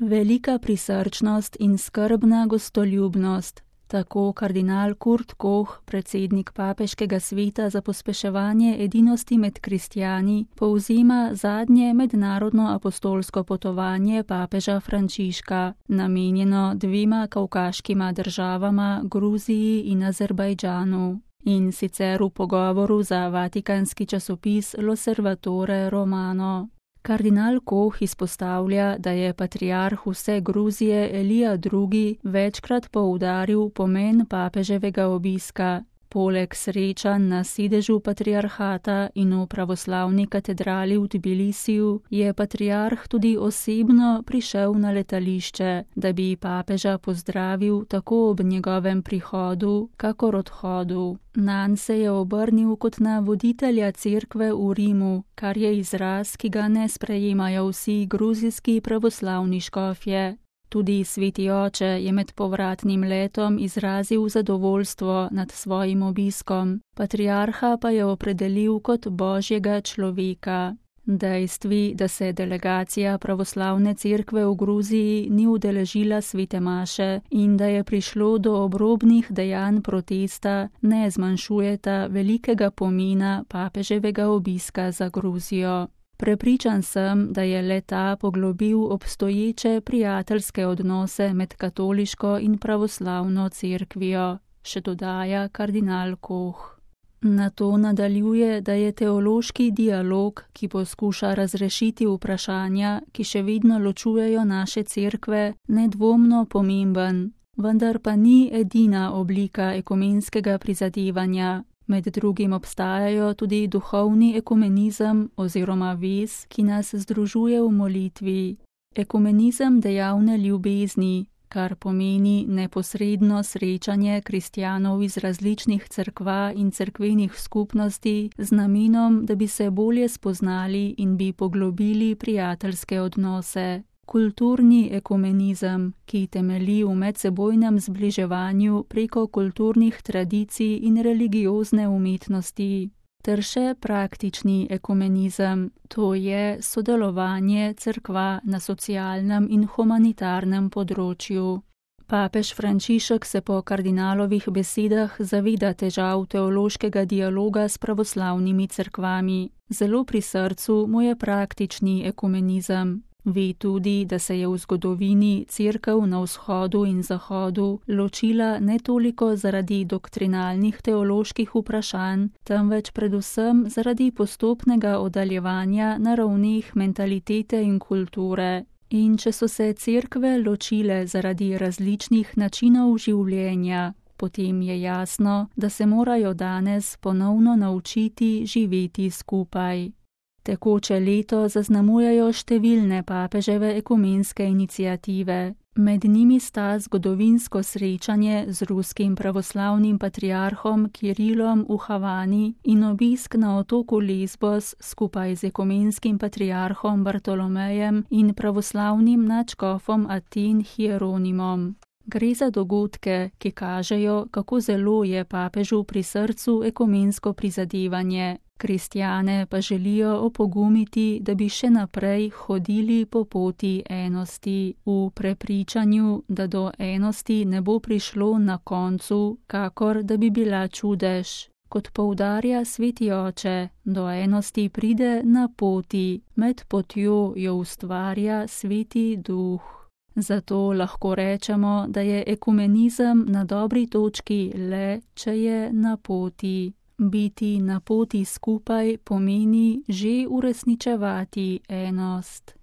Velika prisrčnost in skrbna gostoljubnost. Tako kardinal Kurt Koch, predsednik Papeškega sveta za pospeševanje edinosti med kristjani, povzema zadnje mednarodno apostolsko potovanje papeža Frančiška, namenjeno dvema kavkaškima državama, Gruziji in Azerbajdžanu. In sicer v pogovoru za vatikanski časopis L'Osservatore Romano. Kardinal Koch izpostavlja, da je patriarh vse Gruzije Elija II. Večkrat poudaril pomen papeževega obiska. Poleg srečanj na sedežu patriarhata in v pravoslavni katedrali v Tbilisiju je patriarh tudi osebno prišel na letališče, da bi papeža pozdravil tako ob njegovem prihodu, kakor odhodu. Nanj se je obrnil kot na voditelja cerkve v Rimu, kar je izraz, ki ga ne sprejemajo vsi gruzijski pravoslavni škofje. Tudi sveti oče je med povratnim letom izrazil zadovoljstvo nad svojim obiskom, patriarha pa je opredelil kot božjega človeka. Dejstvi, da se delegacija pravoslavne cerkve v Gruziji ni udeležila svete maše in da je prišlo do obrobnih dejanj protesta, ne zmanjšujeta velikega pomena papeževega obiska za Gruzijo. Prepričan sem, da je le-ta poglobil obstoječe prijateljske odnose med katoliško in pravoslavno cerkvijo, še dodaja kardinal Koch. Nato nadaljuje, da je teološki dialog, ki poskuša razrešiti vprašanja, ki še vedno ločujejo naše cerkve, nedvomno pomemben, vendar pa ni edina oblika ekumenskega prizadevanja. Med drugim obstajajo tudi duhovni ekumenizem oziroma vez, ki nas združuje v molitvi. Ekumenizem dejavne ljubezni, kar pomeni neposredno srečanje kristjanov iz različnih cerkva in cerkvenih skupnosti z namenom, da bi se bolje spoznali in bi poglobili prijateljske odnose. Kulturni ekumenizem, ki temelji v medsebojnem zbliževanju preko kulturnih tradicij in religiozne umetnosti. Ter še praktični ekumenizem, to je sodelovanje cerkva na socialnem in humanitarnem področju. Papež Frančišek se po kardinalovih besedah zaveda težav teološkega dialoga s pravoslavnimi cerkvami. Zelo pri srcu mu je praktični ekumenizem. Ve tudi, da se je v zgodovini cerkev na vzhodu in zahodu ločila ne toliko zaradi doktrinalnih teoloških vprašanj, temveč predvsem zaradi postopnega oddaljevanja na ravneh mentalitete in kulture. In če so se cerkve ločile zaradi različnih načinov življenja, potem je jasno, da se morajo danes ponovno naučiti živeti skupaj. Tekoče leto zaznamujejo številne papeževe ekumenske iniciative. Med njimi sta zgodovinsko srečanje z ruskim pravoslavnim patriarhom Kirilom v Havani in obisk na otoku Lesbos skupaj z ekumenskim patriarhom Bartolomejem in pravoslavnim nadškofom Aten Hieronimom. Gre za dogodke, ki kažejo, kako zelo je papežu pri srcu ekumensko prizadevanje. Kristjane pa želijo opogumiti, da bi še naprej hodili po poti enosti, v prepričanju, da do enosti ne bo prišlo na koncu, kakor da bi bila čudež. Kot poudarja sveti oče, do enosti pride na poti, med potjo jo ustvarja sveti duh. Zato lahko rečemo, da je ekumenizem na dobri točki le, če je na poti. Biti na poti skupaj pomeni že uresničevati enost.